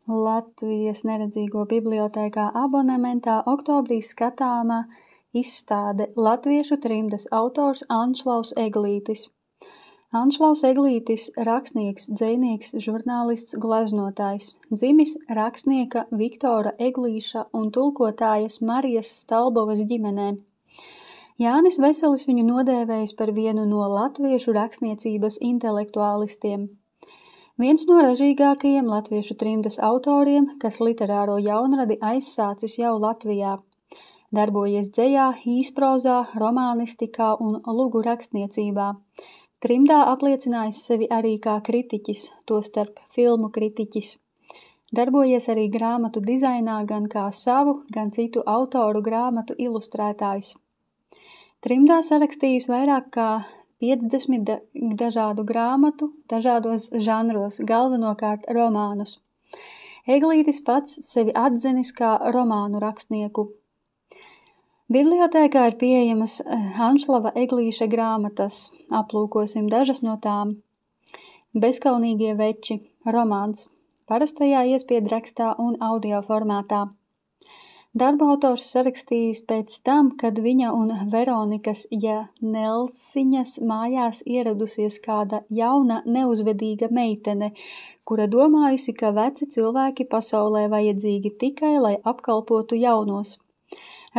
Latvijas neredzīgo bibliotēkā abonementā oktobrī skatāmā izstāde latviešu trimdas autors Anšlaus Eglītis. Anšlaus Eglītis – rakstnieks, dzejnieks, žurnālists, gleznotājs, dzimis rakstnieka Viktora Eglīša un tulkotājas Marijas Stalbovas ģimenē. Jānis Veselis viņu nodēvējis par vienu no latviešu rakstniecības intelektuālistiem. Viens no ražīgākajiem latviešu trimdas autoriem, kas literāro jaunradi aizsācis jau Latvijā. Darbojies dzejā, īsprozā, romānistikā un lugu rakstniecībā. Trimdā apliecinājis sevi arī kā kritiķis, tostarp filmu kritiķis. Darbojies arī grāmatu dizainā gan kā savu, gan citu autoru grāmatu ilustrētājs. Trimdā sarakstījis vairāk kā 50 dažādu grāmatu, dažādos žanros, galvenokārt romānus. Eglītis pats sevi atzinis kā romānu rakstnieku. Bibliotēkā ir pieejamas Anšlava Eglīša grāmatas. Aplūkosim dažas no tām. Bezkaunīgie veči, romāns, parastajā iespiedrakstā un audio formātā. Darbu autors sarakstījis pēc tam, kad viņa un Veronikas Janelsiņas mājās ieradusies kāda jauna, neuzvedīga meitene, kura domājusi, ka veci cilvēki pasaulē vajadzīgi tikai, lai apkalpotu jaunos.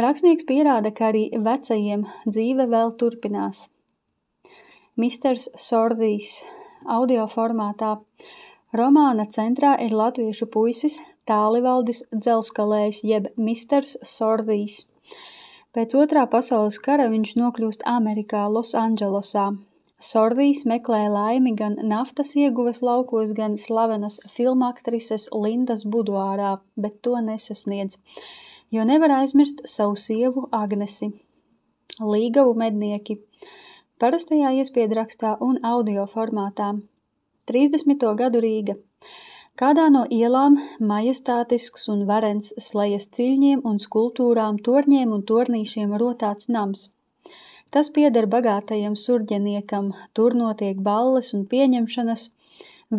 Rakstnieks pierāda, ka arī vecajiem dzīve vēl turpinās. Misters Sordijs, audio formātā. Romāna centrā ir latviešu puisis Tālivaldis Dzelskalējs jeb Misters Sordijs. Pēc Otrā pasaules kara viņš nokļūst Amerikā, Losandželosā. Sordijs meklē laimi gan naftas ieguves laukos, gan slavenas filmaktrises Lindas buduārā, bet to nesasniedz, jo nevar aizmirst savu sievu Agnesi. Līgavu mednieki. Parastajā iespiedrakstā un audio formātā. 30. gadu Rīga. Kādā no ielām majestātisks un varens slejas ciļņiem un skulptūrām, torņiem un tornīšiem rotāts nams. Tas pieder bagātajam surģeniekam, tur notiek balles un pieņemšanas,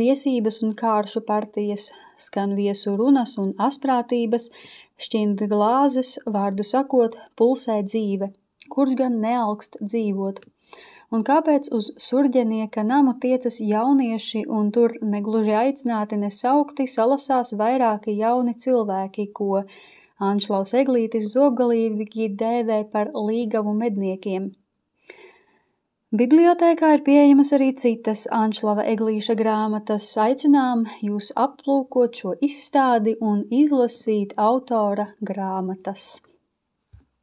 viesības un kāršu partijas, skan viesu runas un asprātības, šķind glāzes, vārdu sakot, pulsē dzīve, kurš gan nealkst dzīvot. Un kāpēc uz surģenieka namu tiecas jaunieši un tur negluži aicināti nesaukti salasās vairāki jauni cilvēki, ko Anšlaus Eglītis zobgalīgi dēvē par līgavu medniekiem. Bibliotēkā ir pieejamas arī citas Anšlava Eglīša grāmatas. Aicinām jūs aplūkot šo izstādi un izlasīt autora grāmatas.